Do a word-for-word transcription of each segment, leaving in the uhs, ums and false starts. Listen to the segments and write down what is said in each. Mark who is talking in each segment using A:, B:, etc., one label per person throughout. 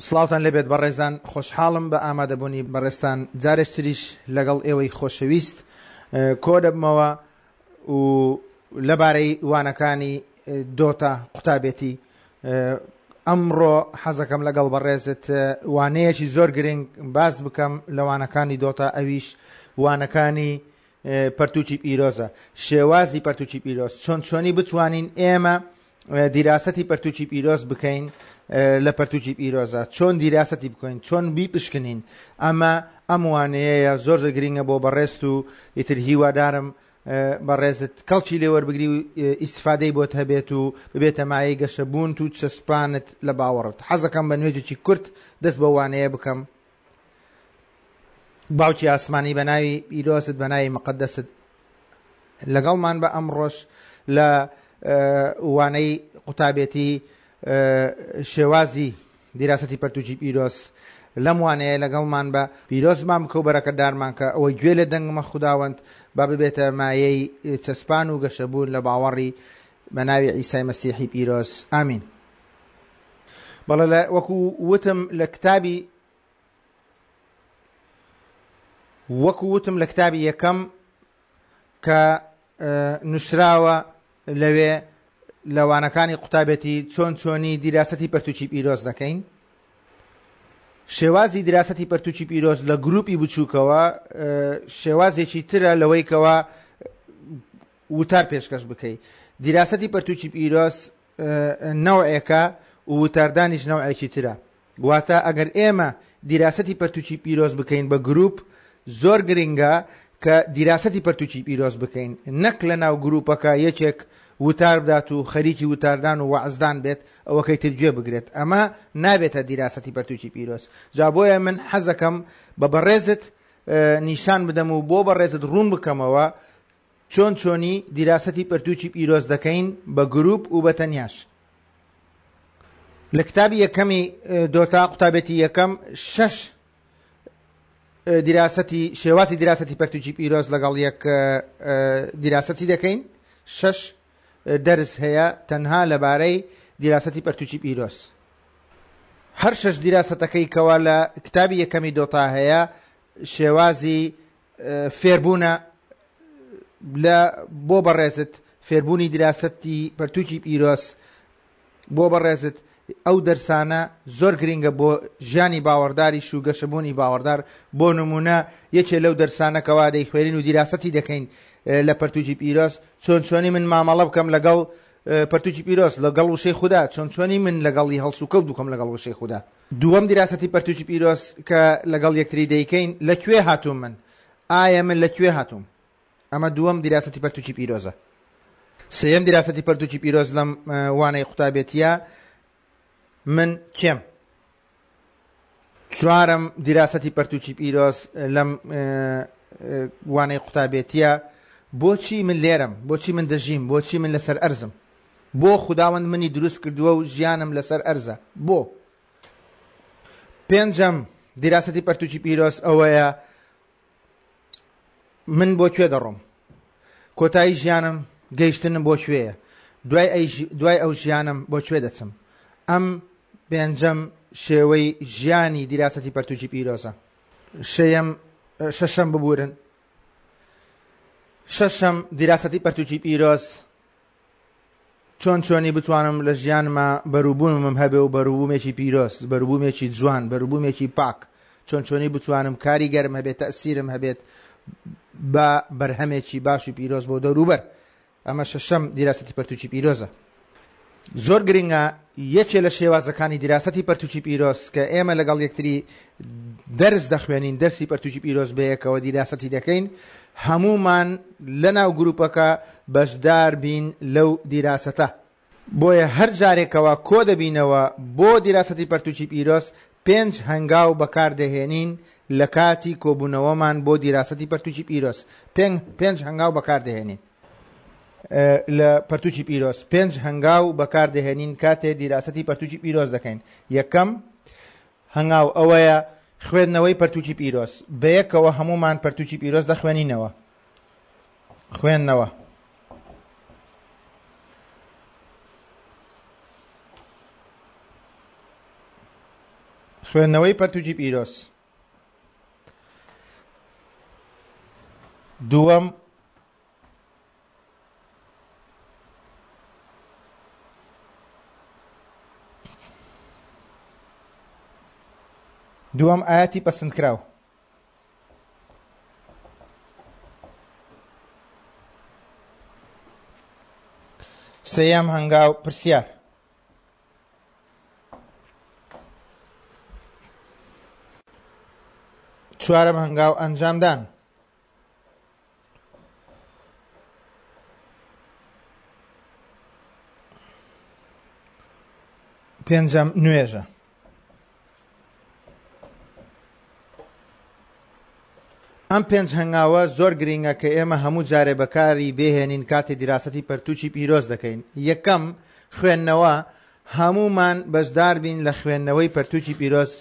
A: سڵاوتان لێبێت بەڕێزان، خۆشحاڵم بە ئامادەبوونی بەڕێزتان جارێکتریش لەگەڵ ئێوەی خۆشەویست کۆ دەبمەوە و لەبارەی وانەکانی دۆتا قوتابێتی. ئەمڕۆ حەزەکەم لەگەڵ بەڕێزت وانەیەکی زۆر گرنگ باس بکەم لە وانەکانی دۆتا، ئەویش وانەکانی پەرتوکی پیرۆزە، شێوازی پەرتوکی پیرۆز، چۆن چۆنی بتوانین ئێمە دیراسەتی پەرتوکی پیرۆز بکەین لە پەرتوکی پیرۆزە، چۆن دیراسەتی بکەین، چۆن بیپشکنین. ئەمە ئەم وانەیەیە زۆر زۆر گرنگە بۆ بەڕێزت و ئیتر هیوادارم بەڕێزت کەڵکی لێوەربگری و ئیسفادەی بۆت هەبێت و ببێتە مایەی گەشەبوونت و چەسپانت لە باوەڕت. حەزەکەم بە نوێژێکی کورت دەست بە وانەیە بکەم. باوکی ئاسمانی بە ناوی پیرۆزت، بە ناوی مقدست لەگەڵمان بە ئەمڕۆش لە وانەی قوتابێتی شێوازی دیراسەتی پەرتوکی پیرۆز. لەم وانەیە لەگەڵمان بە پیرۆزمان بکە و بەرەکەدارمان کە ئەوەی گوێ لە دەنگمە خوداوەند با ببێتە مایەی چەسپان و گەشەبوون لە باوەڕی بە ناوی عیسای مەسیحی پیرۆز، ئامین. بەڵێ وەکو وتم لە کتابی وەکو وتم لە کتابی یەکەم کە نووسراوە لەوێ لە وانەکانی قوتابێتی چۆن چۆنی دیراسەتی پەرتوکی پیرۆز دەکەین. شێوازی دیراسەتی پەرتوکی پیرۆز لە گروپی بچووکەوە شێوازێکی ترە لەوەی کەوا وتار پێشکەش بکەی. دیراسەتی پەرتوکی پیرۆز نەوعێکە و وتاردانیش نەوعێکی ترە. واتە ئەگەر ئێمە دیراسەتی پەرتوکی پیرۆز بکەین بە گروپ، زۆر گرنگە کە دیراسەتی پەرتوکی پیرۆز بکەین، نەک لە ناو گروپەکە یەکێک وتار بدات و خەریکی وتاردان و وەعزدان بێت ئەوەکەی تر گوێ بگرێت. ئەمە نابێتە دیراسەتی پەرتوکی پیرۆز. جا بۆیە من حەزەکەم بە بەڕێزت نیشان بدەم و بۆ بەڕێزت ڕوون بکەمەوە چۆن چۆنی دیراسەتی پەرتوکی پیرۆز دەکەین بە گروپ و بە تەنیاش. لە کتابی یەکەمی دۆتا قوتابێتی یەکەم شەش دیراسەتی شێوازی دیراسەتی پەرتوکی پیرۆز لەگەڵ یەک دیراسەتی دەکەین. شەش دەرس هەیە تەنها لەبارەی دیراسەتی پەرتوکی پیرۆز. هەر شەش دیراسەتەکەی کەوا لە کتابی یەکەمی دۆتا هەیە شێوازی فێربوونە لە بۆ بەڕێزت، فێربوونی دیراسەتی پەرتوکی پیرۆز بۆ بەڕێزت. ئەو دەرسانە زۆر گرنگە بۆ ژیانی باوەڕداریش و گەشەبوونی باوەڕدار. بۆ نمونە یەکێ لەو دەرسانە کەوا دەیخوێنین و دیراسەتی دەکەین لە پەرتوکی پیرۆز، چۆن چۆنی من مامەڵە بکەم لەگەڵ پەرتوکی پیرۆز، لەگەڵ وشەی خودا، چۆن چۆنی من لەگەڵی هەڵسوکەوت بکەم لەگەڵ وشەی خودا. دووەم دیراسەتی پەرتوکی پیرۆز کە لەگەڵ یەکتری دەیکەین، لەکوێ هاتووم من؟ ئایا من لەکوێ هاتووم؟ ئەمە دووەم دیراسەتی پەرتوکی پیرۆزە. سێیەم دیراسەتی پەرتوکی پیرۆز لەم وانەی قوتابێتیە، من کێم؟ چوارەم دیراسەتی پەرتوکی پیرۆز لەم وانەی قوتابێتیە، بۆچی من لێرەم؟ بۆچی من دەژیم؟ بۆچی من لەسەر ئەرزم؟ بۆ خوداوەند منی دروست کردووە و ژیانم لەسەر ئەرزە؟ بۆ؟ پێنجەم دیراسەتی پەرتوکی پیرۆز ئەوەیە من بۆ کوێ دەڕۆم؟ کۆتایی ژیانم گەیشتنم بۆ کوێیە؟ دوای ئەو ژیانم بۆ کوێ دەچم؟ ئەم پێنجەم شێوەی ژیانی دیراسەتی پەرتوکی پیرۆزە. شەیەم شەشەم ببورن، شەشەم دیراسەتی پەرتوکی پیرۆز چۆن چۆنی بتوانم لە ژیانما بەروبوومم هەبێ و بەروبوومێکی پیرۆز، بەروبوومێکی جوان، بەروبوومێکی پاک، چۆن چۆنی بتوانم کاریگەرم هەبێت، تەئسیرم هەبێت بە بەرهەمێکی باش و پیرۆز بۆ دەوروبەر. ئەمە شەشەم دیراسەتی پەرتوکی پیرۆزە. زۆر گرنگە یەکێ لە شێوازەکانی دیراسەتی پەرتوکی پیرۆز کە ئێمە لەگەڵ یەکتری دەرس دەخوێنین، دەرسی پەرتوکی پیرۆز بەیەکەوە دیراسەتی دەکەین، هەمومان لەناو گروپەکە بەشدار بین لەو دیراسەتە. بۆیە هەر جارێکەوە کۆ دەبینەوە بۆ دیراسەتی پەرتوکی پیرۆز پێنج هەنگاو بەکاردەهێنین لە کاتی کۆبوونەوەمان بۆ دیراسەتی پەرتوکی پیرۆز. پێنج هەنگاو بەکاردەهێنین لە پەرتوکی پیرۆز، پێنج هەنگاو بەکاردەهێنین کاتێ دیراسەتی پەرتوکی پیرۆز دەکەین. یەکەم هەنگاو ئەوەیە خوێندنەوەی پەرتوکی پیرۆز. بەیەکەوە هەمومان پەرتوکی پیرۆز دەخوێنینەوە. خوێندنەوە خوێندنەوەی پەرتوکی پیرۆز. دووەم دووەم ئایەتی پەسەندکراو. سێیەم هەنگاو پرسیار. چوارەم هەنگاو ئەنجامدان. پێنجەم نوێژە. ئەم پێنج هەنگاوە زۆر گرینگە کە ئێمە هەموو جارێ بەکاری بێهێنین کاتێ دیراسەتی پەرتوکی پیرۆز دەکەین. یەکەم خوێندنەوە، هەمومان بەشدار بین لە خوێندنەوەی پەرتوکی پیرۆز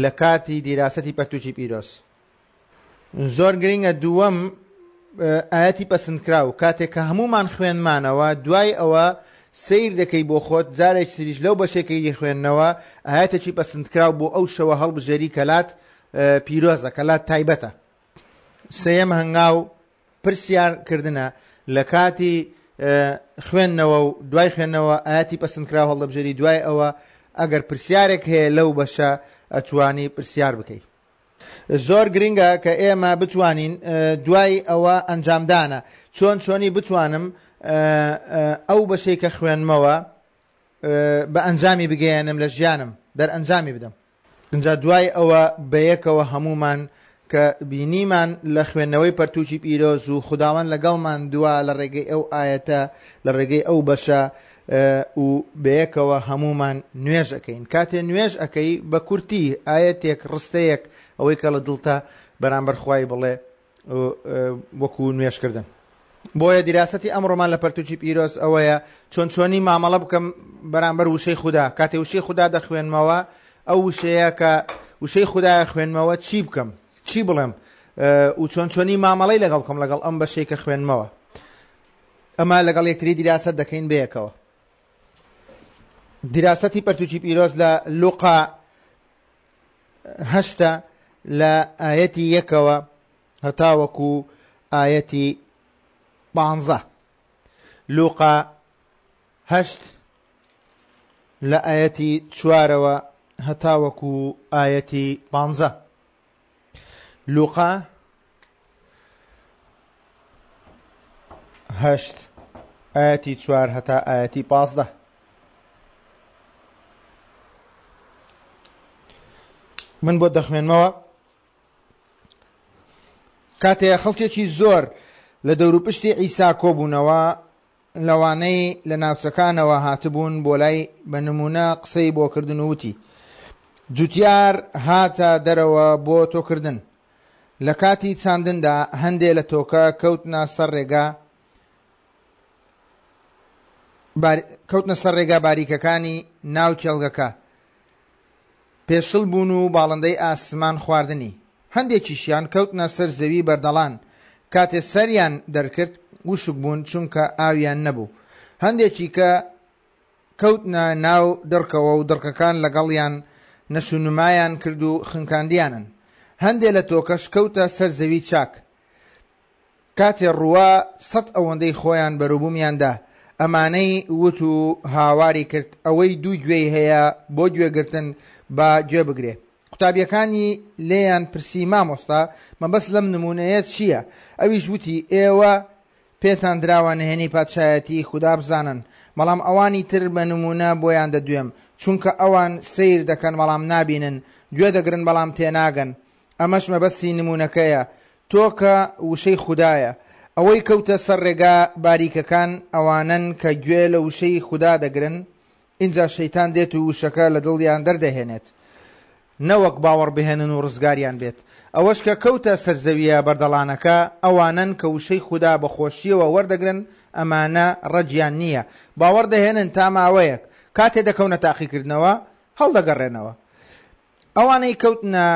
A: لە کاتی دیراسەتی پەرتوکی پیرۆز. زۆر گرینگە. دووەم ئایەتی پەسەندکراو، کاتێک کە هەمومان خوێنمانەوە دوای ئەوە سەیر دەکەی بۆ خۆت جارێکی تریش لەو بەشێکەی خوێندنەوە ئایەتێکی پەسەندکراو بۆ ئەو شەوە هەڵبژێری کەلات پیرۆزە، کەلات تایبەتە. سێیەم هەنگاو پرسیارکردنە، لە کاتی خوێندنەوە و دوای خوێندنەوە ئایەتی پەسەندکراو هەڵدەبژێری، دوای ئەوە ئەگەر پرسیارێک هەیە لەو بەشە ئەتوانی پرسیار بکەی. زۆر گرنگە کە ئێمە بتوانین دوای ئەوە ئەنجامدانە چۆن چۆنی بتوانم ئەو بەشەی کە خوێنمەوە بە ئەنجامی بگەیەنم لە ژیانم، دەرئەنجامی بدەم. اینجا دوای ئەوە بەیەکەوە هەمومان کە بینیمان لە خوێندنەوەی پەرتوکی پیرۆز و خوداوەند لەگەڵمان دوا لە ڕێگەی ئەو ئایەتە، لە ڕێگەی ئەو بەشە و بەیەکەوە هەمومان نوێژ ئەەکەین. کاتێ نوێژ ئەەکەی بە کورتی ئایەتێک، ڕستەیەک، ئەوەی کە لە دڵتە بەرامبەر خوای بڵێ وەکو نوێژکردن. بۆیە دیراسەتی ئەمڕۆمان لە پەرتوکی پیرۆز ئەوەیە چۆن چۆنی مامەڵە بکەم بەرامبەر وشەی خودا. کاتێ وشەی خودا دەخوێنمەوە، ئەو وشەیە کە وشەی خودایە خوێنمەوە چی بکەم، چی بڵێم و چۆن چۆنی مامەڵەی لەگەڵ بکەم لەگەڵ ئەم بەشەی کە خوێنمەوە. ئەمە لەگەڵ یەکتری دیراسەت دەکەین بەیەکەوە. دیراسەتی پەرتوکی پیرۆز لە لوقا هەشتا لە ئایەتی یەکەوە هەتاوەکو ئایەتی پانزە. لوقا هەشت لە ئایەتی چوارەوە هەتاوەکو ئایەتی پانزە. لوقا هەشت ئایەتی چوار هەتا ئایەتی پازدە. من بۆ دەخوێنمەوە. کاتێ خەڵکێکی زۆر لە دەوروپشتی عیسا کۆبوونەوە، لەوانەی لە ناوچەکانەوە هاتبوون بۆ لای بە نمونە قسەی بۆکردن وتی: جوتیار هاتە دەرەوە بۆ تۆکردن. لە کاتی چاندندا هەندێ لە تۆکە کەوتنە سەر ڕێگا کەوتنە سەر ڕێگا باریکەکانی ناو کێڵگەکە، پێشڵ بوون و باڵندەی ئاسمان خواردنی. هەندێکیشیان کەوتنە سەر زەوی بەردەڵان، کاتێ سەریان دەرکرد وشک بوون چونکە ئاویان نەبوو. هەندێکی کە کەوتنە ناو دڕکەوە و دڕکەکان لەگەڵیان نەشونمایان کرد و خنکاندیانن. هەندێ لە تۆکەش کەوتە سەر زەوی چاک، کاتێ ڕووە سەد ئەوەندەی خۆیان بەروبوومیاندا. ئەمانەی وت و هاواری کرد ئەوەی دوو گوێی هەیە بۆ گوێگرتن با گوێ بگرێ. قوتابیەکانی لێیان پرسی: مامۆستا، مەبەست لەم نمونەیە چییە؟ ئەویش وتی: ئێوە پێتان دراوە نهێنی پادشایەتی خودا بزانن، بەڵام ئەوانی تر بە نمونە بۆیان دەدوێم، چونکە ئەوان سەیر دەکەن بەڵام نابینن، گوێ دەگرن بەڵام تێناگەن. ئەمەش مەبەستی نمونەکەیە، تۆکە وشەی خودایە. ئەوەی کەوتە سەر ڕێگا باریکەکان ئەوانن کە گوێ لە وشەی خودا دەگرن، ئینجا شەیتان دێت و وشەکە لە دڵیان دەردەهێنێت، نەوەک باوەڕ بهێنن و ڕزگاریان بێت. ئەوەش کە کەوتە سەرزەویە بەردەڵانەکە ئەوانن کە وشەی خودا بە خۆشیەوە وەردەگرن، ئەمانە ڕەجیان نییە، باوەڕ دەهێنن تا ماوەیەک، کاتێ دەکەونە تاقیکردنەوە هەڵدەگەڕێنەوە. ئەوانەی کەوتنە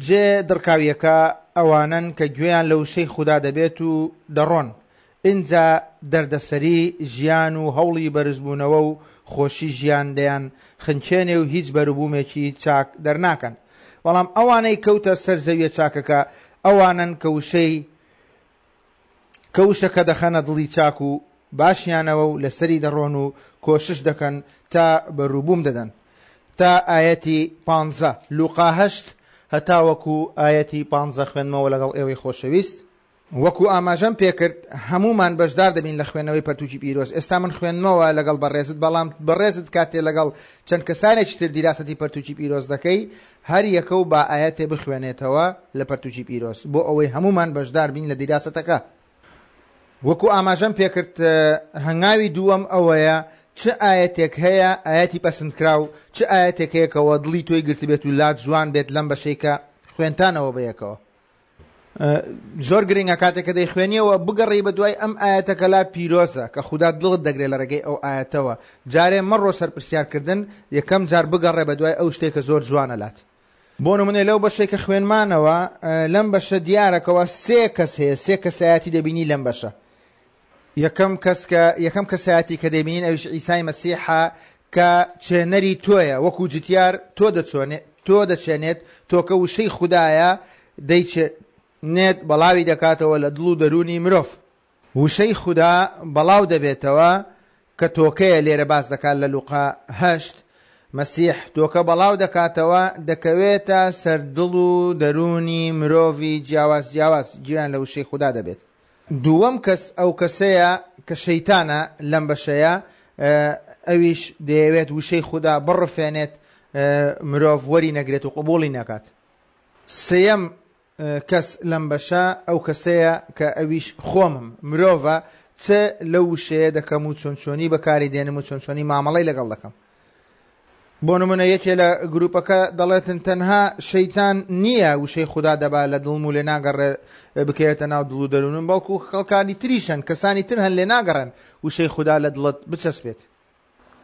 A: جێ دڕکاویەکە ئەوانن کە گوێیان لە وشەی خودا دەبێت و دەڕۆن، ئینجا دەردەسەری ژیان و هەوڵی بەرزبوونەوە و خۆشی ژیان دەیان خنچێنێ و هیچ بەروبوومێکی چاک دەرناکەن. بەڵام ئەوانەی کەوتە سەر زەویە چاکەکە ئەوانن کە وشەی کە وشەکە دەخەنە دڵی چاک و باشیانەوە و لەسەری دەڕۆن و کۆشش دەکەن تا بەروبووم دەدەن. تا ئایەتی پانزە لوقا هەشت هەتاوەکو ئایەتی پانزە خوێنمەوە لەگەڵ ئێوەی خۆشەویست. وەکو ئاماژەم پێکرد هەمومان بەشدار دەبین لە خوێندنەوەی پەرتوکی پیرۆز. ئێستا من خوێندمەوە لەگەڵ بەڕێزت، بەڵام بەڕێزت کاتێ لەگەڵ چەند کەسانێکی تر دیراسەتی پەرتوکی پیرۆز دەکەی هەر یەکە و با ئایەتێ بخوێنێتەوە لە پەرتوکی پیرۆز بۆ ئەوەی هەمومان بەشدار بین لە دیراسەتەکە. وەکو ئاماژەم پێکرد هەنگاوی دووەم ئەوەیە چ ئایەتێک هەیە ئایەتی پەسەندکراو، چ ئایەتێک هەیە کەەوە دڵی تۆی گرتبێت و لات جوان بێت لەم بەشەی کە خوێنتانەوە بەیەکەوە. زۆر گرنگە کاتێک کە دەیخوێنیەوە بگەڕێی بە دوای ئەم ئایەتەکە لات پیرۆزە کە خودا دڵت دەگرێت لە ڕێگەی ئەو ئایەتەوە. جارێ مەڕۆ سەرپرسیارکردن، یەکەم جار بگەڕێ بە دوای ئەو شتێک کە زۆر جوانە لات. بۆ نمونە لەو بەشێک کە خوێنمانەوە لەم بەشە دیارەکەوە سێ کەس هەیە، سێ کەسایەتی دەبینی لەم بەشە. یەکەم کەس کە یەکەم کەسایەتی کە دەبینین ئەویش عیسای مەسیحە کە چێنەری تۆیە، وەکو جتیار تۆ دەچۆنێت تۆ دەچێنێت، تۆکە وشەی خودایە دەیچێنێت بەڵاوی دەکاتەوە لە دڵ و دەروونی مرۆڤ. وشەی خودا بەڵاو دەبێتەوە کە تۆکەیە لێرە باس دەکات لە لوقا هەشت. مەسیح تۆکە بەڵاو دەکاتەوە دەکەوێتە سەر دڵ و دەروونی مرۆڤی جیاواز جیاواز گوێیان لە وشەی خودا دەبێت. دووەم کەس ئەو کەسەیە کە شەیتانە لەم بەشەیە، ئەویش دەیەوێت وشەی خودا بڕفێنێت مرۆڤ وەری نەگرێت و قبوڵی نەکات. سێیەم کەس لەم بەشە ئەو کەسەیە کە ئەویش خۆمم، مرۆڤە، چ لەو وشەیە دەکەم و چۆن چۆنی بەکاری دێنم و چۆن چۆنی مامەڵەی لەگەڵ دەکەم. بۆ نمونە یەکێ لە گروپەکە دەڵێتن تەنها شەیتان نییە وشەی خودا دەبا لە دڵم و لێ ناگەڕێ بکەوێتە ناو دڵ و دەروونم، بەڵکو خەڵکانی تریشن، کەسانی تر هەن لێ ناگەڕێن وشەی خودا لە دڵت بچەسپێت.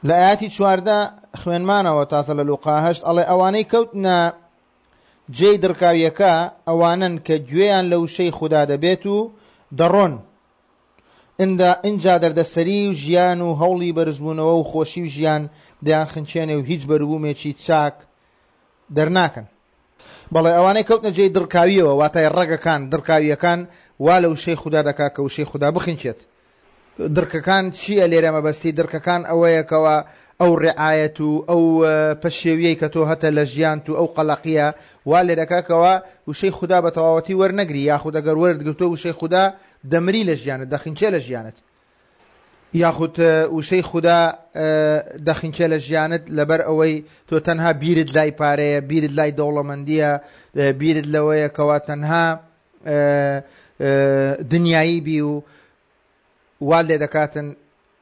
A: لە ئایەتی چواردە خوێنمانەوە تازە لە لوقا هەشت ئەڵێ ئەوانەی کەوتنە جێی دڕکاویەکە ئەوانن کە گوێیان لە وشەی خودا دەبێت و دەڕۆن، ئینجا دەردەسەری و ژیان و هەوڵی بەرزبوونەوە و خۆشی و ژیان دەیان خنچێنێ و هیچ بەروبوومێکی چاک دەرناکەن. بەڵێ ئەوانەی کەوتنە جێی دڕکاویەوە، واتای ڕەگەکان دڕکاویەکان وا لە وشەی خودا دەکات کە وشەی خودا بخنچێت. دڕکەکان چییە لێرە مەبەستی؟ دڕکەکان ئەوەیەکەوە ئەو ڕعایەت و ئەو پەشێویەی کە تۆ هەتە لە ژیانت و ئەو قەلەقیە وا لێرەکەکەوە وشەی خودا بە تەواوەتی وەرنەگری، یاخود ئەگەر وەرت گرتووە وشەی خودا دەمری لە ژیانت، دەخنچێ لە ژیانت، یاخود وشەی خودا دەخنچێ لە ژیانت لەبەر ئەوەی تۆ تەنها بیرت لای پارەیە، بیرت لای دەوڵەمەندیە، بیرت لەوەیە کەوا تەنها دنیایی بی و وا لێ دەکاتن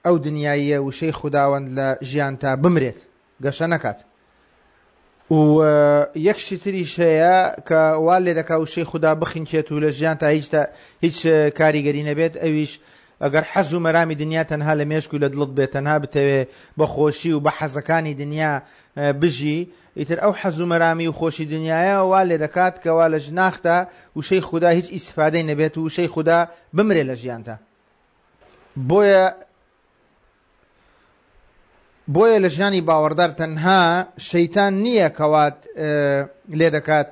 A: ئەو دنیاییە وشەی خوداوەند لە ژیان تا بمرێت، گەشە نەکات. و یەک شتی تریش هەیە کە وا لێ دەکا وشەی خودا بخنکێت و لە ژیان تا هیچ هیچ کاریگەری نەبێت، ئەویش ئەگەر حەز و مەرامی دنیا تەنها لە مێشک و لە دڵت بێت، تەنها بتەوێ بە خۆشی و بە حەزەکانی دنیا بژی، ئیتر ئەو حەز و مەرامی و خۆشی دنیاە وا لێ دەکات کەوا لە ژناختا وشەی خودا هیچ ئیسفادەی نەبێت و وشەی خودا بمرێ لە ژیانتا. بۆیە بۆیە لە ژیانی باوەڕدار تەنها شەیتان نییە کەوات لێ دەکات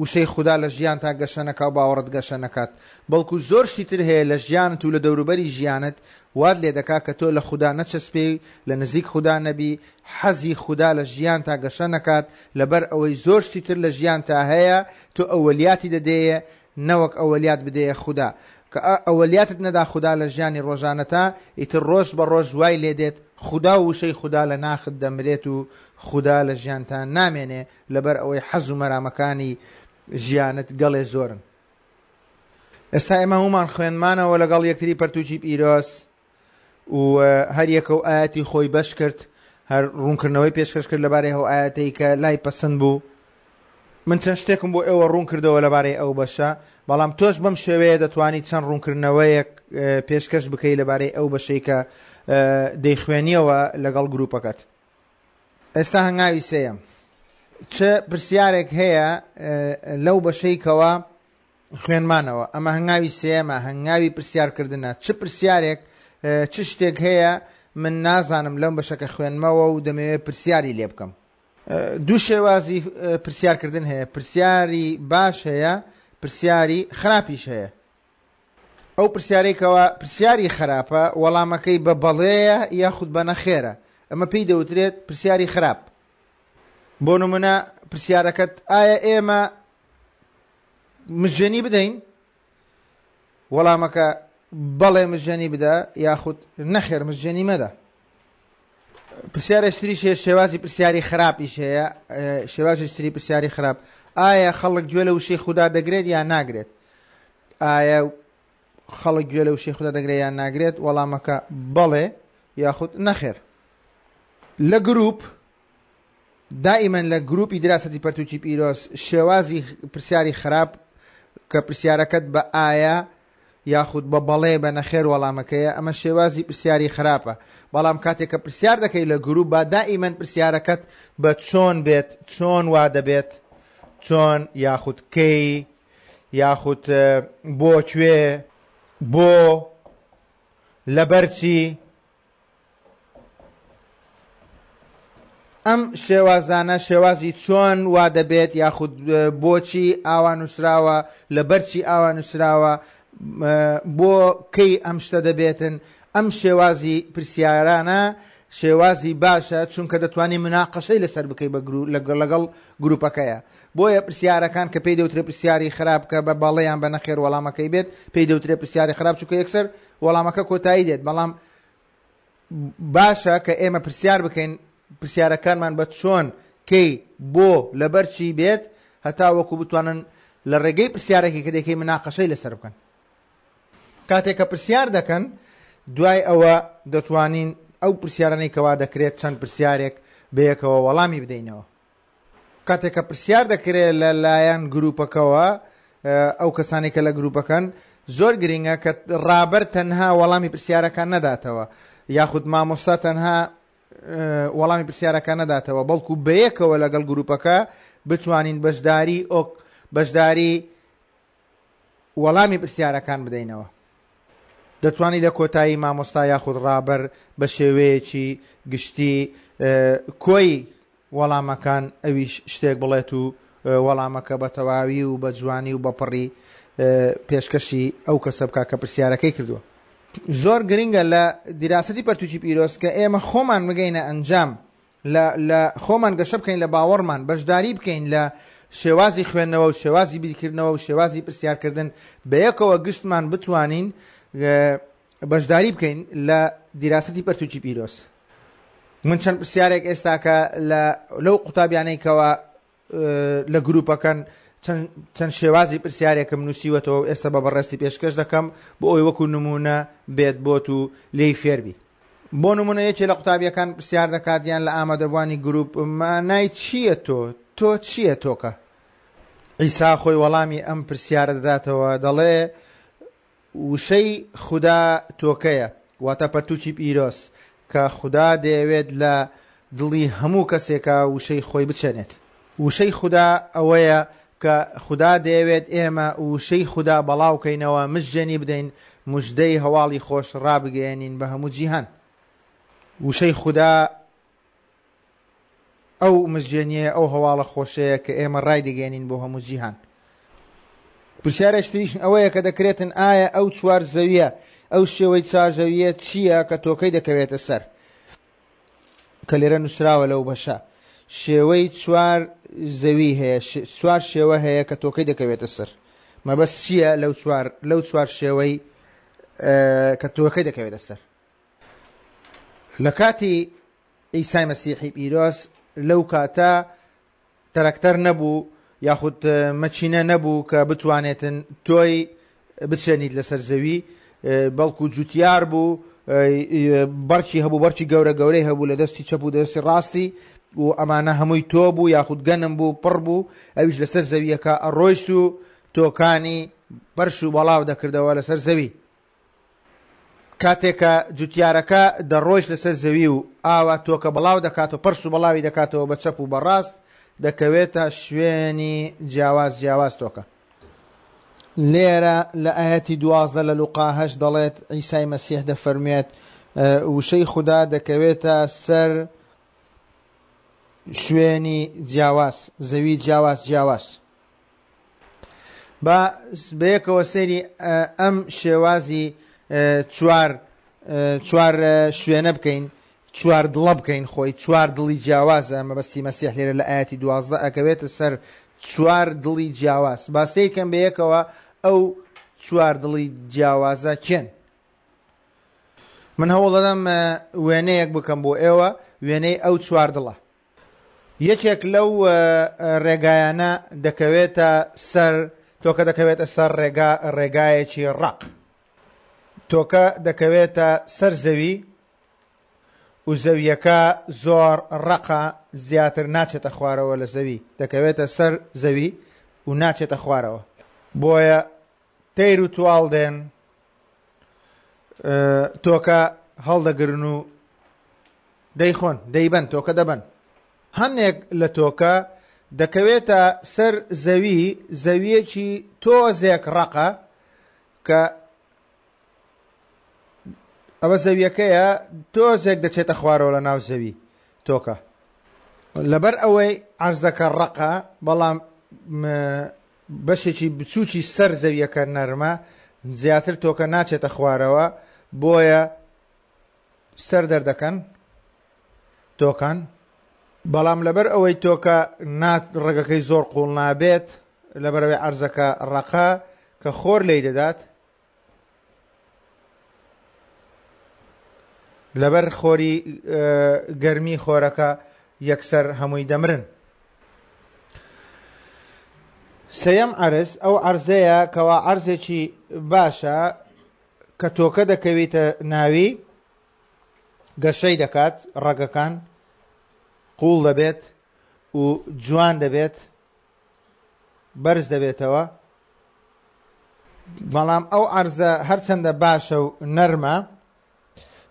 A: وشەی خودا لە ژیان تا گەشە نەکا و باوەڕت گەشە نەکات، بەڵکو زۆر شتی تر هەیە لە ژیانت و لە دەوروبەری ژیانت وات لێ دەکات کە تۆ لە خودا نەچەسپێی، لە نزیک خودا نەبی، حەزی خودا لە ژیان تا گەشە نەکات، لەبەر ئەوەی زۆر شتی تر لە ژیان تا هەیە تۆ ئەوەلیاتی دەدەیە نەوەک ئەوەلیات بدەیە خودا. کە ئەوەلیاتت نەدا خودا لە ژیانی ڕۆژانەتا، ئیتر ڕۆژ بە ڕۆژ وای لێدێت خودا و وشەی خودا لە ناخت دەمرێت و خودا لە ژیانتان نامێنێ، لەبەر ئەوەی حەز و مەرامەکانی ژیانت گەڵێ زۆرن. ئێستا ئێمە هەمومان خوێندمانەوە لەگەڵ یەکتری پەرتوکی پیرۆز و هەر یەکە و ئایەتی خۆی بەش کرد، هەر ڕوونکردنەوەی پێشکەش کرد لەبارەی ئەو ئایەتەی کە لای پەسەند بوو. من چەند شتێکم بۆ ئێوە ڕوون کردەوە لەبارەی ئەو بەشە، بەڵام تۆش بەم شێوەیە دەتوانیت چەند ڕوونکردنەوەیەک پێشکەش بکەی لەبارەی ئەو بەشەی کە دەیخوێنیەوە لەگەڵ گروپەکەت. ئێستا هەنگاوی سێیەم، چ پرسیارێک هەیە لەو بەشەی کەوا خوێنمانەوە؟ ئەمە هەنگاوی سێیەمە، هەنگاوی پرسیارکردنە. چ پرسیارێک، چ شتێک هەیە من نازانم لەم بەشەکە خوێنمەوە و دەمەوێت پرسیاری لێ بکەم؟ دوو شێوازی پرسیارکردن هەیە، پرسیاری باش هەیە، پرسیاری خراپیش هەیە. ئەو پرسیارێکەوە پرسیاری خراپە وەڵامەکەی بە بەڵێیە یاخود بە نەخێرە، ئەمە پێی دەوترێت پرسیاری خراپ. بۆ نمونە پرسیارەکەت ئایا ئێمە مژێنی بدەین؟ وەڵامەکە بەڵێ مژێنی بدە یاخود نەخێر مژێنی مەدە. پرسیارێکتریش هەیە، شێوازی پرسیاری خراپیش هەیە، شێوازی تری پرسیاری خراپ، ئایا خەڵک گوێ لە وشەی خودا دەگرێت یان ناگرێت؟ ئایا خەڵک گوێ لە وشەی خودا دەگرێت یان ناگرێت؟ وەڵامەکە بەڵێ یاخود نەخێر. لە گروپ دائما لە گروپی دراسەتی پەرتوکی پیرۆز شێوازی پرسیاری خراپ کە پرسیارەکەت بە ئایا یاخود بە بەڵێ بە نەخێر وەڵامەکەیە، ئەمە شێوازی پرسیاری خراپە. بەڵام کاتێک کە پرسیار دەکەی لە گروپ با دائما پرسیارەکەت بە چۆن بێت، چۆن وا دەبێت، چۆن یاخود کەی یاخود بۆ کوێ، بۆ لەبەرچی. ئەم شێوازانە شێوازی چۆن وا دەبێت یاخود بۆچی ئاوا نووسراوە، لەبەرچی ئاوا نووسراوە، بۆ کەی ئەم شتە دەبێتن، ئەم شێوازی پرسیارانە شێوازی باشە، چونکە دەتوانانی مناقەشەی لەسەر بکەی لەگەڵ گروپەکەیە. بۆیە پرسیارەکان کە پێی دەوترێ پرسیاری خراپ کە بە بەڵێیان بە نەخێر وەڵامەکەی بێت، پێی دەوترێ پرسیاری خراپ چونکە یەکسەر وەڵامەکە کۆتایی دێت. بەڵام باشە کە ئێمە پرسیار بکەین، پرسیارەکانمان بە چۆن، کەی، بۆ، لەبەرچی بێت، هەتا وەکو بتوانن لە ڕێگەی پرسیارێکی کە دەکەی مناقەشەی لەسەر بکەن. کاتێک کە پرسیار دەکەن دوای ئەوە دەتوانین ئەو پرسیارانەی کەوا دەکرێت چەند پرسیارێک بەیەکەوە وەڵامی بدەینەوە. کاتێک کە پرسیار دەکرێت لەلایەن گروپەکەوە، ئەو کەسانی کە لە گروپەکەن، زۆر گرنگە کە ڕابەر تەنها وەڵامی پرسیارەکان نەداتەوە یاخود مامۆستا تەنها وەڵامی پرسیارەکان نەداتەوە، بەڵکو بەیەکەوە لەگەڵ گروپەکە بتوانین بەشداری ئۆک بەشداری وەڵامی پرسیارەکان بدەینەوە. دەتوانانی لە کۆتایی مامۆستا یاخود ڕابەر بە شێوەیەکی گشتی کۆی وەڵامەکان ئەویش شتێک بڵێت و وەڵامەکە بە تەواوی و بە جوانی و بە پڕی پێشکەشی ئەو کەسە بکا کە پرسیارەکەی کردووە. زۆر گرنگە لە دیراسەتی پەرتوکی پیرۆز کە ئێمە خۆمان بگەینە ئەنجام، لە خۆمان گەشە بکەین لە باوەڕمان، بەشداری بکەین لە شێوازی خوێندنەوە و شێوازی بیرکردنەوە و شێوازی پرسیارکردن، بەیەکەوە گشتمان بتوانین بەشداری بکەین لە دیراسەتی پەرتوکی پیرۆز. من چەند پرسیارێک ئێستاکە لەو قوتابیانەی کەوا لە گروپەکەن چەند شێوازی پرسیارێکم نووسیوەتەوە و ئێستا بە بەڕێستی پێشکەش دەکەم بۆ ئەوەی وەکو نمونە بێت بۆت و لێی فێربی. بۆ نمونە یەکێ لە قوتابیەکان پرسیار دەکات یان لە ئامادەبووانی گروپ، مانای چییە تۆ؟ تۆ چییە تۆکە؟ عیسا خۆی وەڵامی ئەم پرسیارە دەداتەوە، دەڵێ وشەی خودا تۆکەیە، واتە پەرتوکی پیرۆز کە خودا دەیەوێت لە دڵی هەموو کەسێکە وشەی خۆی بچێنێت. وشەی خودا ئەوەیە کە خودا دەیەوێت ئێمە وشەی خودا بەڵاوکەینەوە، مژێنی بدەین، مژدەی هەواڵی خۆش ڕابگەیەنین بە هەموو جیهان. وشەی خودا ئەو مژێنیە، ئەو هەواڵە خۆشەیە کە ئێمە ڕایدەگەیەنین بۆ هەموو جیهان. پرسیارێک تریش ئەوەیە کە دەکرێتن ئایا ئەو چوار زەویە، ئەو شێوەی چوار زەویە چییە کە تۆکەی دەکەوێتە سەر؟ کە لێرە نووسراوە لەو بەشە شێوەی چوار زەوی هەیە، چوار شێوە هەیە کە تۆکەی دەکەوێتە سەر. مەبەست چییە لەو چوار لەو چوار شێوەی کە تۆکەی دەکەوێتە سەر؟ لە کاتی عیسای مەسیحی پیرۆز لەو کاتە تەرەکتەر نەبوو یاخود مەچینە نەبوو کە بتوانێتن تۆی بچێنیت لەسەر زەوی، بەڵکو جوتیار بوو، بەرکی هەبوو، بەرکی گەورە گەورەی هەبوو لە دەستی چەپ و دەستی ڕاستی و ئەمانە هەمووی تۆ بوو یاخود گەنم بوو، پڕ بوو، ئەویش لەسەر زەویەکە ئەڕۆیشت و تۆکانی بەرش و بەڵاو دەکردەوە لەسەر زەوی. کاتێکە جوتیارەکە دەڕۆیشت لەسەر زەوی و ئاوا تۆکە بەڵاو دەکاتەوە، پەرش و بەڵاوی دەکاتەوە بە چەپ و بەڕاست، دەکەوێتە شوێنی جیاواز جیاواز تۆکە. لێرە لە ئاەتی دوازدە لە لوقا هەشت دەڵێت عیسای مەسیح دەفەرموێت وشەی خودا دەکەوێتە سەر شوێنی جیاواز، زەوی جیاواز جیاواز. با بەیەکەوە سەیری ئەم شێوازی چوار چوار شوێنە بکەین، چوار دڵە بکەین، خۆی چوار دڵی جیاوازە. مەبەستی مەسیح لێرە لە ئاەتی دوازدە ئەکەوێتە سەر چوار دڵی جیاواز. با سەیرکەم بەیەکەوە ئەو چوار دڵی جیاوازە کێن. من هەوڵ دەدەم وێنەیەک بکەم بۆ ئێوە، وێنەی ئەو چوار دڵە. یەکێک لەو ڕێگایانە دەکەوێتە سەر تۆکە، دەکەوێتە سەر ڕێگا ڕێگایەکی ڕەق. تۆکە دەکەوێتە سەر زەوی و زەویەکە زۆر ڕەقە، زیاتر ناچێتە خوارەوە لە زەوی، دەکەوێتە سەر زەوی و ناچێتە خوارەوە. بۆیە تەیر و تواڵ دێن تۆکە هەڵدەگرن و دەیخۆن، دەیبەن، تۆکە دەبەن. هەندێک لە تۆکە دەکەوێتە سەر زەوی، زەویەکی تۆزێک ڕەقە کە ئەوە زەویەکەیە، تۆزێک دەچێتە خوارەوە لە ناو زەوی تۆکە. لەبەر ئەوەی عەرزەکە ڕەقە، بەڵام بەشێکی بچووکی سەر زەویەکە نەرمە، زیاتر تۆکە ناچێتە خوارەوە، بۆیە سەر دەردەکەن تۆکان. بەڵام لەبەر ئەوەی تۆکە ڕێگەکەی زۆر قوڵ نابێت، لەبەرەوەی عەرزەکە ڕەقە کە خۆر لێی دەدات، لەبەر خۆری گەرمی خۆرەکە یەکسەر هەمووی دەمرن. سێیەم عەرز ئەو عەرزەیە کەوا عەرزێکی باشە کە تۆکە دەکەویتە ناوی، گەشەی دەکات، ڕەگەکان قوڵ دەبێت و جوان دەبێت، بەرز دەبێتەوە. بەڵام ئەو عەرزە هەرچەندە باشە و نەرمە،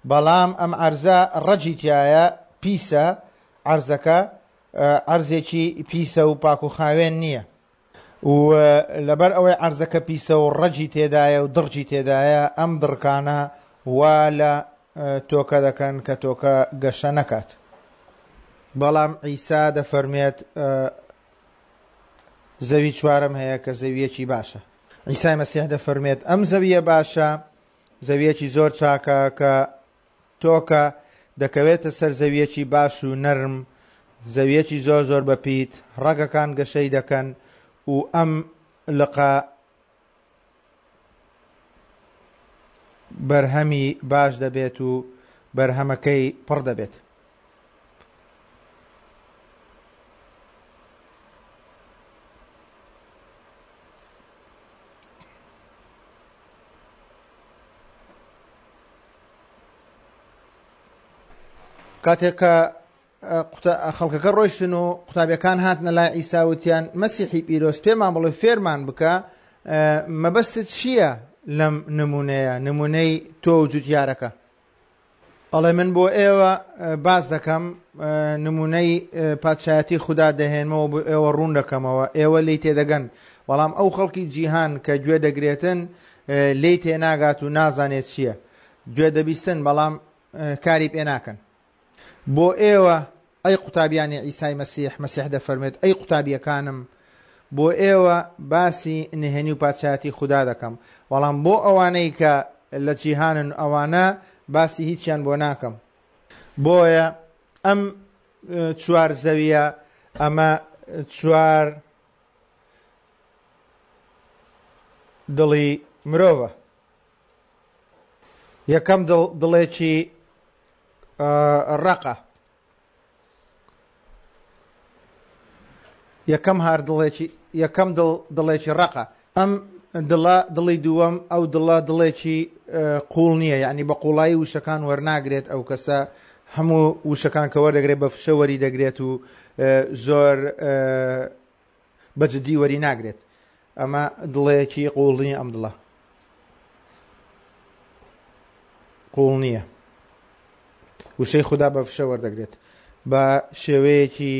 A: بەڵام ئەم عەرزە ڕەجی تایە، پیسە. عەرزەکە عەرزێکی پیسە و پاک و خاوێن نییە و لەبەر ئەوەی عەرزەکە پیسە و ڕەجی تێدایە و دڕجی تێدایە، ئەم دڕکانە وا لە تۆکە دەکەن کە تۆکە گەشە نەکات. بەڵام عیسا دەفەرمێت زەوی چوارم هەیە کە زەویەکی باشە. عیسای مەسیح دەفەرمێت ئەم زەویە باشە، زەویەکی زۆر چاکە کە تۆکە دەکەوێتە سەر زەویەکی باش و نەرم، زەویەکی زۆر زۆر بەپیت، ڕەگەکان گەشەی دەکەن و ئەم لقە بەرهەمی باش دەبێت و بەرهەمەکەی پڕ دەبێت. کاتێک کە خەڵکەکە ڕۆیشتن و قوتابیەکان هاتنە لای عیسا وتیان مەسیحی پیرۆز پێمان بڵێ، فێرمان بکە مەبەستت چییە لەم نمونەیە، نمونەی تۆ و جوتیارەکە؟ ئەڵێ من بۆ ئێوە باز دەکەم، نمونەی پادشایەتی خودا دەهێنمەوە بۆ ئێوە ڕوون دەکەمەوە، ئێوە لێی تێدەگەن. بەڵام ئەو خەڵکی جیهان کە گوێ دەگرێتن لێی تێناگات و نازانێت چییە، گوێ دەبیستن بەڵام کاری پێ ناکەن. بۆ ئێوە ئەی قوتابیانی عیسای مەسیح، مەسیح دەفەرمێت ئەی قوتابیەکانم، بۆ ئێوە باسی نهێنی و پادشایەتی خودا دەکەم، بەڵام بۆ ئەوانەی کە لە جیهانن ئەوانە باسی هیچیان بۆ ناکەم. بۆیە ئەم چوار زەویە، ئەمە چوار دڵی مرۆڤە. یەکەم دڵ دڵێکی ڕەقە، یەکەم هار دڵێکی، یەکەم دڵ دڵێکی ڕەقە. ئەم دڵە دڵی دووەم، ئەو دڵە دڵێکی قوڵ نییە، یعنی بە قوڵایی وشەکان وەرناگرێت. ئەو کەسە هەموو وشەکان کە وەردەگرێت بە فشە وەری دەگرێت و زۆر بەجددی وەری ناگرێت. ئەمە دڵێکی قوڵ نییە، ئەم دڵە قوڵ نییە. وشەی خودا بە فشە وەردەگرێت بە شێوەیەکی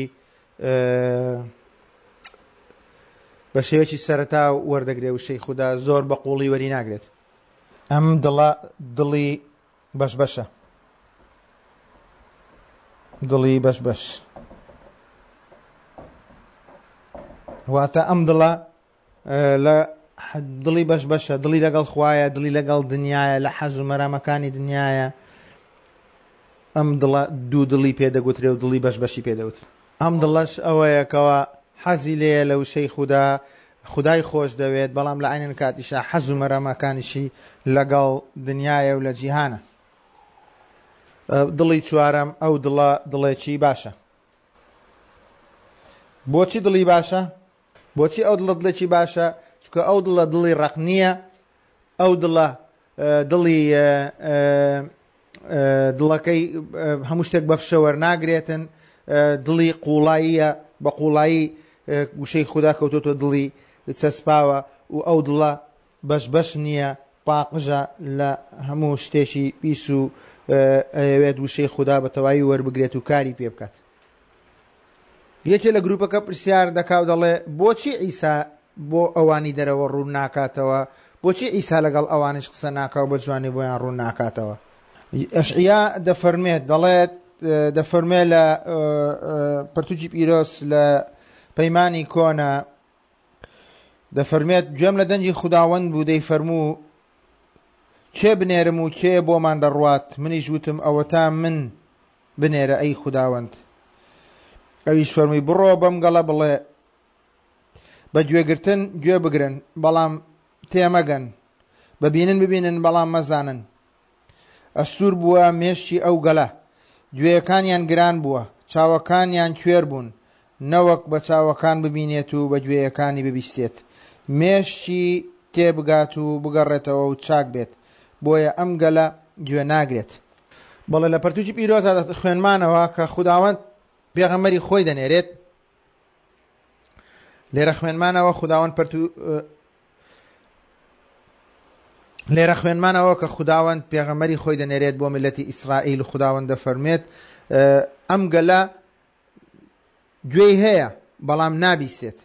A: بە شێوەیەکی سەرەتا وەردەگرێت وشەی خودا، زۆر بە قوڵی وەری ناگرێت. ئەم دڵە دڵی بەش بەشە، دڵی بەش بەش. واتە ئەم دڵە لە دڵی بەش بەشە، دڵی لەگەڵ خوایە، دڵی لەگەڵ دنیایە، لە حەز و مەرامەکانی دنیایە. ئەم دڵە دوو دڵی پێدەگوترێ و دڵی بەش بەشی پێدەوترێ. ئەم دڵەش ئەوەیە کەوا حەزی لێیە لە وشەی خودا، خودای خۆش دەوێت، بەڵام لە عینەن کاتیشا حەز و مەرامەکانیشی لەگەڵ دنیایە و لە جیهانە. دڵی چوارەم ئەو دڵە دڵێکی باشە. بۆچی دڵی باشە؟ بۆچی ئەو دڵە دڵێکی باشە؟ چونکە ئەو دڵە دڵی ڕق نییە، ئەو دڵە دڵی دڵەکەی هەموو شتێک بە فشە وەرناگرێتن، دڵی قوڵاییە، بە قوڵایی وشەی خودا کەوتۆتە دڵی چەسپاوە و ئەو دڵە بەش بەش نییە، پاقژە لە هەموو شتێکی پیس و ئەیەوێت وشەی خودا بە تەواوی وەربگرێت و کاری پێ بکات. یەکێ لە گروپەکە پرسیار دەکا و دەڵێ بۆچی عیسا بۆ ئەوانی دەرەوە ڕوون ناکاتەوە؟ بۆچی عیسا لەگەڵ ئەوانیش قسە ناکا و بە جوانی بۆیان ڕوون ناکاتەوە؟ ئەشعیا دەفەرمێت، دەڵێت دەفەرمێ لە پەرتوکی پیرۆز لە پەیمانی کۆنە دەفەرمێت گوێم لە دەنگی خوداوەند بوو دەیفەرموو کێ بنێرم و کێ بۆمان دەڕوات؟ منیش وتم ئەوەتا من بنێرە ئەی خوداوەند. ئەویش فەرمووی بڕۆ بەم گەڵە بڵێ بە گوێگرتن گوێ بگرن بەڵام تێمەگەن، ببینن ببینن بەڵام مەزانن. ئەستوور بووە مێشکی ئەو گەلە، گوێیەکانیان گران بووە، چاوەکانیان کوێر بوون، نەوەک بە چاوەکان ببینێت و بە گوێیەکانی ببیستێت، مێشکی تێبگات و بگەڕێتەوە و چاک بێت، بۆیە ئەم گەلە گوێ ناگرێت. بەڵێ لە پەرتوکی پیرۆزا خوێنمانەوە کە خوداوەند پێغەمبەری خۆی دەنێرێت. لێرە خوێنمانەوە خوداوەند پەرتو لێرە خوێنمانەوە کە خوداوەند پێغەمبەری خۆی دەنێرێت بۆ میللەتی ئیسرائیل. خوداوەند دەفەرمێت ئەم گەلە گوێی هەیە بەڵام نابیستێت،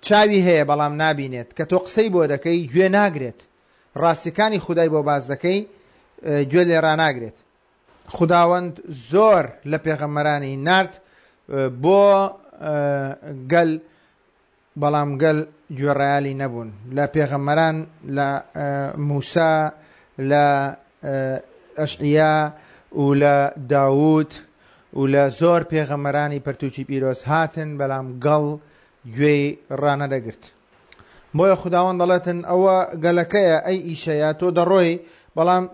A: چاوی هەیە بەڵام نابینێت، کە تۆ قسەی بۆ دەکەی گوێ ناگرێت، ڕاستیەکانی خودای بۆ باز دەکەی گوێ لێ ڕاناگرێت. خوداوەند زۆر لە پێغەمبەرانی نارد بۆ گەل، بەڵام گەل گوێڕایەلی نەبوون. لە پێغەمبەران لە موسا، لە ئەشعیا و لە داود و لە زۆر پێغەمبەرانی پەرتوکی پیرۆز هاتن، بەڵام گەڵ گوێی ڕانەدەگرت. بۆیە خوداوەند دەڵێتن ئەوە گەلەکەیە ئەی ئیشەیە، تۆ دەڕۆی بەڵام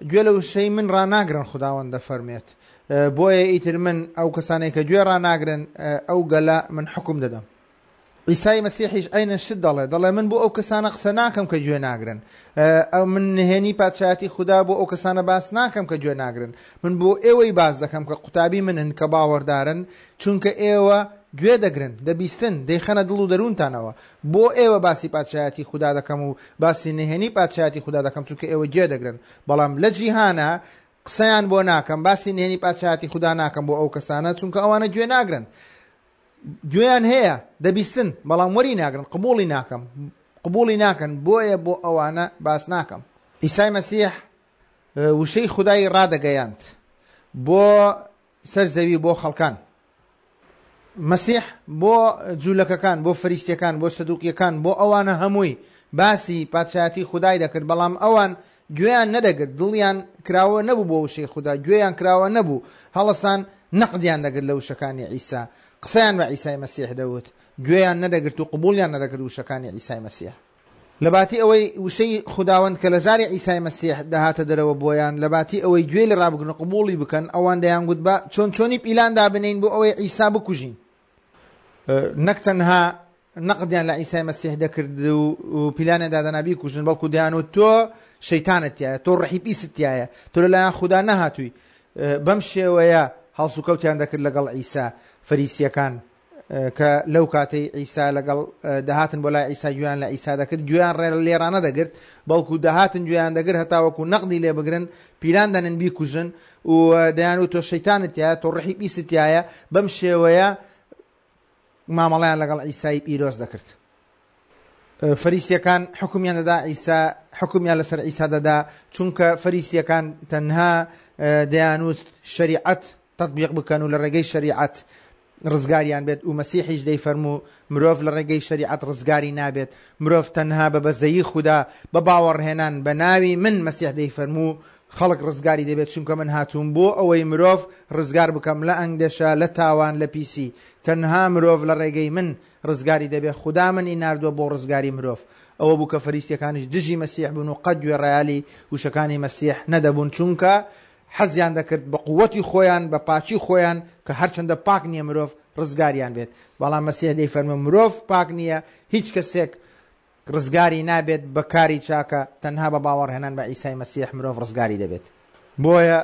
A: گوێ لە وشەی من ڕاناگرن. خوداوەند دەفەرمێت بۆیە ئیتر من ئەو کەسانەی کە گوێ ڕاناگرن ئەو گەلە من حکم دەدەم. عیسای مەسیحیش عینە شت دەڵێ، دەڵێ من بۆ ئەو کەسانە قسە ناکەم کە گوێ ناگرن، ئەو من نهێنی پادشایەتی خودا بۆ ئەو کەسانە باس ناکەم کە گوێ ناگرن، من بۆ ئێوەی باس دەکەم کە قوتابی منن کە باوەڕدارن، چونکە ئێوە گوێ دەگرن، دەبیستن، دەیخەنە دڵ و دەروونتانەوە. بۆ ئێوە باسی پادشایەتی خودا دەکەم و باسی نهێنی پادشایەتی خودا دەکەم، چونکە ئێوە گوێ دەگرن. بەڵام لە جیهانە قسەیان بۆ ناکەم، باسی نهێنی پادشایەتی خودا ناکەم بۆ ئەو کەسانە، چونکە ئەوانە گوێ ناگرن. گوێیان هەیە دەبیستن بەڵام وەری ناگرن، قبوڵی ناکەم، قبوڵی ناکەن، بۆیە بۆ ئەوانە باس ناکەم. عیسای مەسیح وشەی خودای ڕادەگەیاند بۆ سەر زەوی بۆ خەڵکان. مەسیح بۆ جوولەکەکان، بۆ فەریسیەکان، بۆ سەدوقیەکان، بۆ ئەوانە هەمووی باسی پادشایەتی خودای دەکرد، بەڵام ئەوان گوێیان نەدەگرت، دڵیان کراوە نەبوو بۆ وشەی خودا، گوێیان کراوە نەبوو، هەڵەسان نەقدیان دەگرت لە وشەکانی عیسا، قسەیان بە عیسای مەسیح دەوت، گوێیان نەدەگرت و قبوڵیان نەدەکرد وشەکانی عیسای مەسیح. لەباتی ئەوەی وشەی خوداوەند کە لە زاری عیسای مەسیح دەهاتە دەرەوە بۆیان، لەباتی ئەوەی گوێ لە ڕابگرن و قبوڵی بکەن، ئەوان دەیانگوت بە چۆن چۆنی پیلان دابنین بۆ ئەوەی عیسا بکوژین. نەک تەنها نەقدیان لە عیسای مەسیح دەکرد و پیلانیان دادەنا بیکوژن، بەڵکو دەیانوت تۆ شەیتانت تایە، تۆ ڕەحی پیست تایە، تۆ لەلایەن خودا نەهاتووی. بەم شێوەیە هەڵسوکەوتیان دەکرد لەگەڵ عیسا. فەریسیەکان کە لەو کاتەی عیسا لەگەڵ دەهاتن بۆ لای عیسا گوێیان لە عیسا دەکرد، گوێیان لێرانە دەگرت، بەڵکو دەهاتن گوێیان دەگرت هەتاوەکو نەقدی لێ بگرن، پیلان دەنن بیکوژن و دەیانوت تۆ شەیتانت تایە، تۆ ڕەحی پیست تایە. بەم شێوەیە مامەڵەیان لەگەڵ عیسای پیرۆز دەکرد. فەریسیەکان حکومیان دەدا عیسا، حکومیان لەسەر عیسا دەدا، چونکە فەریسیەکان تەنها دەیانوت شەریعەت تطبیق بکەن و لە ڕێگەی شەریعەت ڕزگاریان بێت. و مەسیحیش دەیفەرموو مرۆڤ لە ڕێگەی شەریعەت ڕزگاری نابێت، مرۆڤ تەنها بە بەزەیی خودا بە باوەڕهێنان بە ناوی من مەسیح دەیفەرموو خەڵک ڕزگاری دەبێت، چونکە من هاتووم بۆ ئەوەی مرۆڤ ڕزگار بکەم لە ئەنگدەشە، لە تاوان، لە پیسی. تەنها مرۆڤ لە ڕێگەی من ڕزگاری دەبێت، خودا منی ناردووە بۆ ڕزگاری مرۆڤ. ئەوە بوو کە فەریسیەکانیش دژی مەسیح بوون و قەت گوێڕایەلی وشەکانی مەسیح نەدەبوون، چونکە حەزیان دەکرد بە قووەتی خۆیان، بە پاکی خۆیان، کە هەرچەندە پاک نییە مرۆڤ ڕزگاریان بێت. بەڵام مەسیح دەیفەرموو مرۆڤ پاک نییە، هیچ کەسێک ڕزگاری نابێت بە کاری چاکە، تەنها بە باوەڕهێنان بە عیسای مەسیح مرۆڤ ڕزگاری دەبێت. بۆیە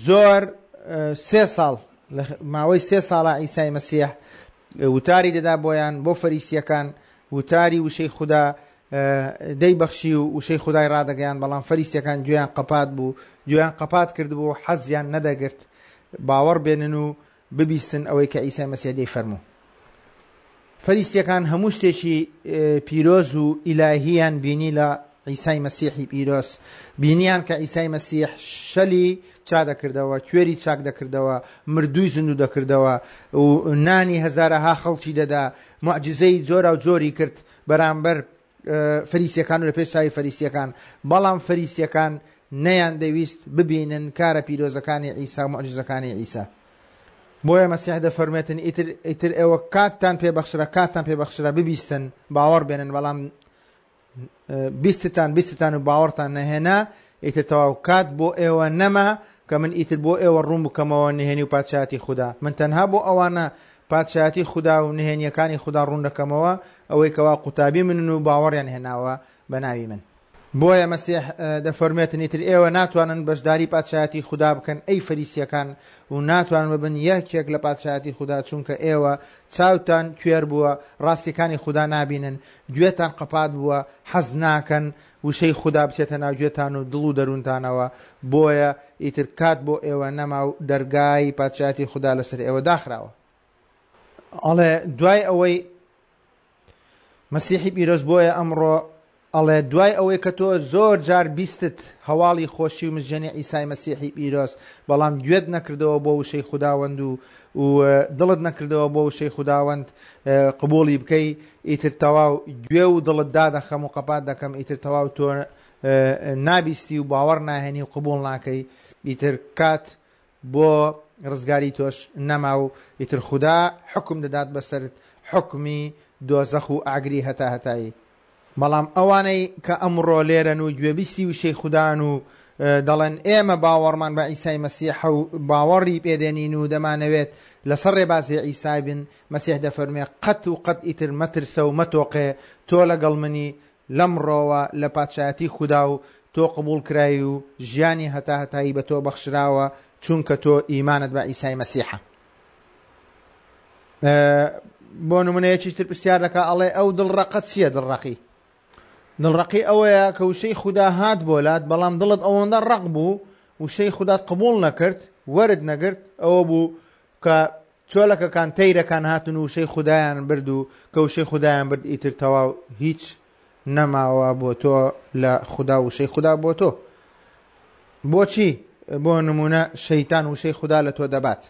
A: زۆر سێ ساڵ، ماوەی سێ ساڵە عیسای مەسیح وتاری دەدا بۆیان، بۆ فەریسیەکان وتاری وشەی خودا دەیبەخشی و وشەی خودای ڕادەگەیان، بەڵام فەریسیەکان گوێیان قەپات بوو، گوێیان قەپات کردبوو، حەزیان نەدەگرت باوەڕ بێنن و ببیستن ئەوەی کە عیسای مەسیح دەیفەرموو. فەریسیەکان هەموو شتێکی پیرۆز و ئیلاهیان بینی لە عیسای مەسیحی پیرۆز، بینیان کە عیسای مەسیح شەلی چا دەکردەوە، کوێری چاک دەکردەوە، مردووی زیندوو دەکردەوە و نانی هەزارەها خەڵکی دەدا، معجزەی جۆرا و جۆری کرد بەرامبەر فەریسیەکان و لە پێش چاوی فەریسیەکان. بەڵام فەریسیەکان نەیان دەویست ببینن کارە پیرۆزەکانی عیسا و معجزەکانی عیسا. بۆیە مەسیح دەفەرمێتن ئیتر ئیتر ئێوە کاتتان پێبەخشرا، کاتتان پێبەخشرا ببیستن، باوەڕ بێنن، بەڵام بیستتان بیستتان و باوەڕتان نەهێنا، ئیتر تەواو کات بۆ ئێوە نەما کە من ئیتر بۆ ئێوە ڕوون بکەمەوە نهێنی و پادشایەتی خودا. من تەنها بۆ ئەوانە پادشایەتی خودا و نهێنیەکانی خودا ڕوون دەکەمەوە ئەوەی کەوا قوتابی منن و باوەڕیان هێناوە بە ناوی من. بۆیە مەسیح دەفەرمێتن ئیتر ئێوە ناتوانن بەشداری پادشایەتی خودا بکەن ئەی فەریسیەکان، و ناتوانن ببن یەکێک لە پادشایەتی خودا، چونکە ئێوە چاوتان کوێر بووە، ڕاستیەکانی خودا نابینن، گوێتان قەپات بووە، حەز ناکەن وشەی خودا بچێتە ناو گوێتان و دڵ و دەروونتانەوە. بۆیە ئیتر کات بۆ ئێوە نەما و دەرگای پادشایەتی خودا لەسەر ئێوە داخراوە. ئەڵێ دوای ئەوەی مەسیحی پیرۆز بۆیە ئەمڕۆ ئەڵێ دوای ئەوەی کە تۆ زۆر جار بیستت هەواڵی خۆشی و مژێنی عیسای مەسیحی پیرۆز، بەڵام گوێت نەکردەوە بۆ وشەی خوداوەند و دڵت نەکردەوە بۆ وشەی خوداوەند قبوڵی بکەی، ئیتر تەواو گوێ و دڵت دادەخەم و قەپات دەکەم، ئیتر تەواو تۆ نابیستی و باوەڕ ناهێنی و قبوڵ ناکەی، ئیتر کات بۆ ڕزگاری تۆش نەما و ئیتر خودا حکم دەدات بەسەرت، حکمی دۆزەخ و ئاگری هەتا هەتایی. بەڵام ئەوانەی کە ئەمڕۆ لێرەن و گوێبیستی وشەی خودان و دەڵێن ئێمە باوەڕمان بە عیسای مەسیح و باوەڕی پێدێنین و دەمانەوێت لەسەر ڕێبازی عیسای بن، مەسیح دەفەرمێ قەت و قەت ئیتر مەترسە و مەتۆقێ، تۆ لەگەڵ منی لەمڕۆوە لە پادشایەتی خودا و تۆ قبوڵ کرای و ژیانی هەتا هەتایی بە تۆ بەخشراوە، چونکە تۆ ئیمانت بە عیسای مەسیحە. بۆ نمونەیەکی تر پرسیار دەکا، ئەڵێ ئەو دڵڕەقە چییە؟ دڵڕەقی دڵڕەقی ئەوەیە کە وشەی خودا هات بۆ لات، بەڵام دڵت ئەوەندە ڕەق بوو وشەی خودات قبوڵ نەکرد، وەرد نەگرت، ئەوە بوو کە چۆلەکەکان تەیرەکان هاتن و وشەی خودایان برد و کە وشەی خودایان برد ئیتر تەواو هیچ نەماوە بۆ تۆ لە خودا وشەی خودا بۆ تۆ. بۆچی بۆ نمونە شەیتان وشەی خودا لە تۆ دەبات؟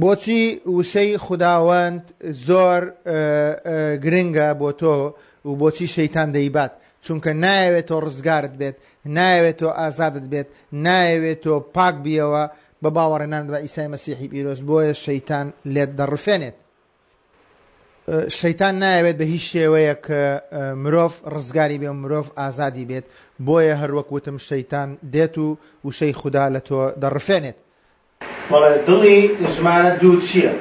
A: بۆچی وشەی خوداوەند زۆر گرنگە بۆ تۆ و بۆچی شەیتان دەیبات؟ چونکە نایەوێت تۆ ڕزگارت بێت، نایەوێت تۆ ئازادت بێت، نایەوێت تۆ پاک بیەوە بە باوەڕێنان بە عیسای مەسیحی پیرۆز. بۆیە شەیتان لێت دەڕفێنێت. شەیتان نایەوێت بە هیچ شێوەیەک مرۆڤ ڕزگاری بێ و مرۆڤ ئازادی بێت، بۆیە هەروەک وتم شەیتان دێت و وشەی خودا لە تۆ دەڕفێنێت. بەڵێ دڵی ژمارە دوو چییە؟